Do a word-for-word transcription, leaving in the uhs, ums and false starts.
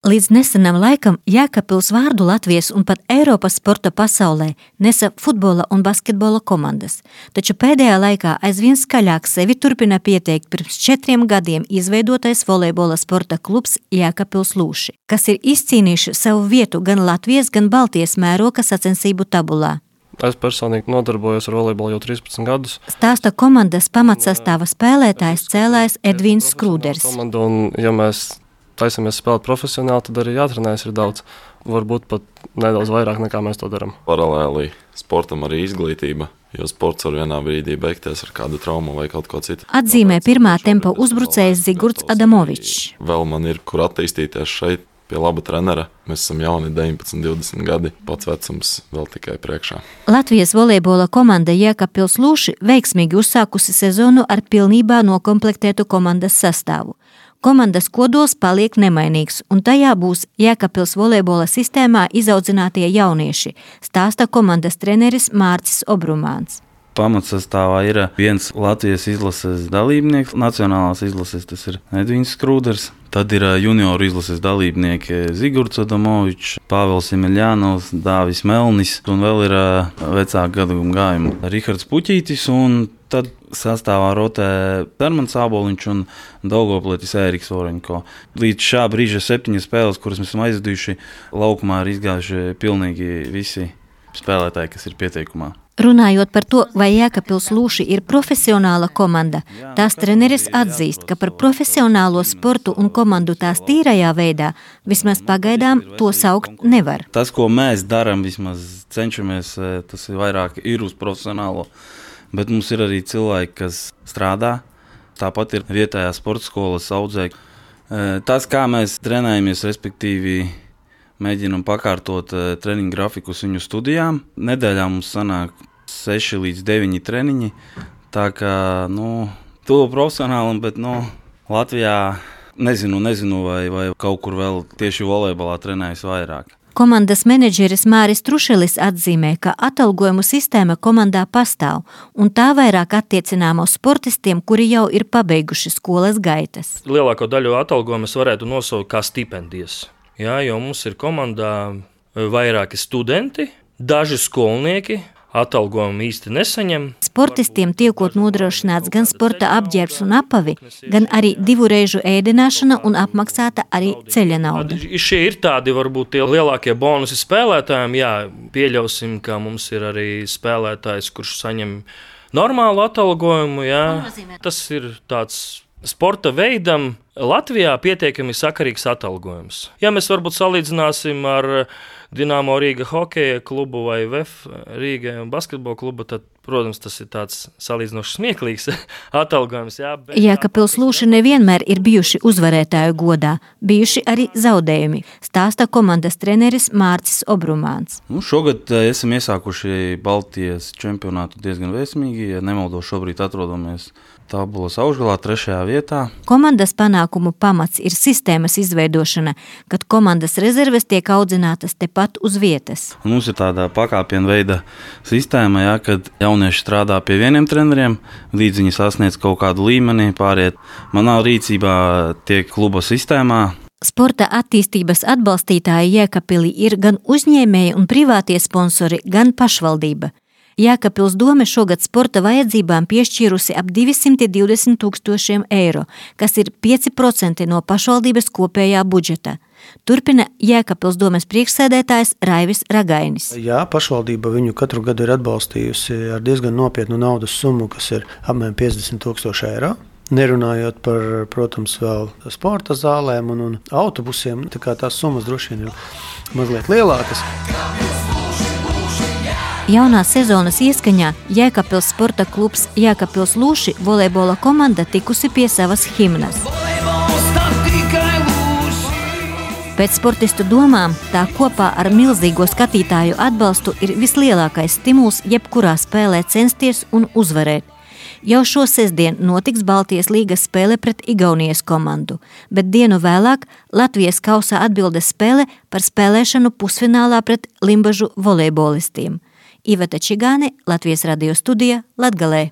Līdz nesenam laikam Jēkabpils vārdu Latvijas un pat Eiropas sporta pasaulē nesa futbola un basketbola komandas, taču pēdējā laikā aizvien skaļāk sevi turpina pieteikt pirms četriem gadiem izveidotais volejbola sporta klubs Jēkabpils Lūši, kas ir izcīnījuši savu vietu gan Latvijas, gan Baltijas mēroga sacensību tabulā. Es personīgi nodarbojos ar volejbolu jau trīspadsmit gadus. Stāsta komandas pamatsastāva spēlētājs cēlājs Edvins Skrūders. Komanda, un, ja mēs taisamies spēlēt profesionāli, tad arī jātrenējas ir daudz. Varbūt pat nedaudz vairāk nekā mēs to darām. Paralēli sportam arī izglītība, jo sports var vienā brīdī beigties ar kādu traumu vai kaut ko citu. Atzīmē pirmā tempa uzbrucējs Zigurds Adamovičs. Vēl man ir, kur attīstīties šeit pie laba trenera. Mēs esam jauni deviņpadsmit, divdesmit gadi, pats vecums vēl tikai priekšā. Latvijas volejbola komanda Jēkabpils Lūši veiksmīgi uzsākusi sezonu ar pilnībā nokomplektētu komandas sastāvu. Komandas kodols paliek nemainīgs, un tajā būs Jēkabpils volejbola sistēmā izaudzinātie jaunieši, stāsta komandas treneris Mārcis Obrumāns. Pamatsastāvā ir viens Latvijas izlases dalībnieks, nacionālās izlases, tas ir Edvins Skrūders. Tad ir junioru izlases dalībnieki Zigurds Adamovičs, Pāvils Emeļānovs, Dāvis Melnis, un vēl ir vecāku gadaguma gājumu Rihards Puķītis, un tad sastāvā rotē Darmans Āboliņš un Daugavpilietis Ēriks Oreņko. Līdz šā brīža septiņas spēles, kuras mēs esam aizvadījuši, laukumā ir izgājuši pilnīgi visi spēlētāji, kas ir pieteikumā. Runājot par to, vai Jēkabpils Lūši ir profesionāla komanda, tās treneris atzīst, ka par profesionālo sportu un komandu tās tīrajā veidā vismaz pagaidām to saukt nevar. Tas, ko mēs darām, vismaz cenšamies, tas ir vairāk ir uz profesionālo, bet mums ir arī cilvēki, kas strādā. Tāpat ir vietējā sporta skolas audzēji. Tas, kā mēs trenējamies, respektīvi mēģinam pakārtot treniņu grafikus viņu studijām. Nedēļā mums sanāk seši līdz deviņi treniņi, tā kā, nu, to profesionālam, bet, nu, Latvijā nezinu, nezinu, vai, vai kaut kur vēl tieši volejbolā trenējas vairāk. Komandas menedžeris Māris Trušelis atzīmē, ka atalgojumu sistēma komandā pastāv, un tā vairāk attiecināma uz sportistiem, kuri jau ir pabeiguši skolas gaitas. Lielāko daļu atalgojumus varētu nosaukt kā stipendijas. Jā, jo mums ir komandā vairāki studenti, daži skolnieki, atalgojumu īsti nesaņem. Sportistiem tiekot nodrošināts gan sporta apģērbs un apavi, gan arī divu reižu ēdināšana un apmaksāta arī ceļa nauda. Šie ir tādi varbūt tie lielākie bonusi spēlētājiem. Jā, pieļausim, ka mums ir arī spēlētājs, kurš saņem normālu atalgojumu. Jā. Tas ir tāds sporta veidam Latvijā pietiekami sakarīgs atalgojums. Ja mēs varbūt salīdzināsim ar Dinamo Rīga hokeja klubu vai V E F Rīga basketbola klubu, tad, protams, tas ir tāds salīdzinoši smieklīgs atalgojums. Jā, bet... Jēkabpils Lūši nevienmēr ir bijuši uzvarētāju godā, bijuši arī zaudējumi, stāsta komandas treneris Mārcis Obrumāns. Nu, šogad esam iesākuši Baltijas čempionātu diezgan veiksmīgi, ja nemaldos, šobrīd atrodamies tabulas augšgalā trešajā vietā. Komandas panākumu pamats ir sistēmas izveidošana, kad komandas rezerves tiek audzinātas tepat uz vietas. Mums ir tāda pakāpiena veida sistēma, jā, kad jaunieši strādā pie vieniem treneriem, līdz viņi sasniedz kaut kādu līmeni, pāriet. Manā rīcībā tiek kluba sistēmā. Sporta attīstības atbalstītāji Jēkabpilī ir gan uzņēmēji un privātie sponsori, gan pašvaldība. Jēkabpils dome šogad sporta vajadzībām piešķīrusi ap divsimt divdesmit tūkstošiem eiro, kas ir pieci procenti no pašvaldības kopējā budžeta. Turpina Jēkabpils domes priekšsēdētājs Raivis Ragainis. Jā, pašvaldība viņu katru gadu ir atbalstījusi ar diezgan nopietnu naudas summu, kas ir apmēram piecdesmit tūkstoši eiro. Nerunājot par, protams, vēl sporta zālēm un, un autobusiem, tā kā tās summas droši vien ir mazliet lielākas. Jaunā sezonas ieskaņā Jēkabpils sporta klubs Jēkabpils Lūši volejbola komanda tikusi pie savas himnas. Pēc sportistu domām, tā kopā ar milzīgo skatītāju atbalstu ir vislielākais stimuls jebkurā spēlē censties un uzvarēt. Jau šo sestdien notiks Baltijas līgas spēle pret Igaunijas komandu, bet dienu vēlāk Latvijas kausa atbildes spēle par spēlēšanu pusfinālā pret Limbažu volejbolistiem. Iveta Čigāne, Latvijas radio studija, Latgalē.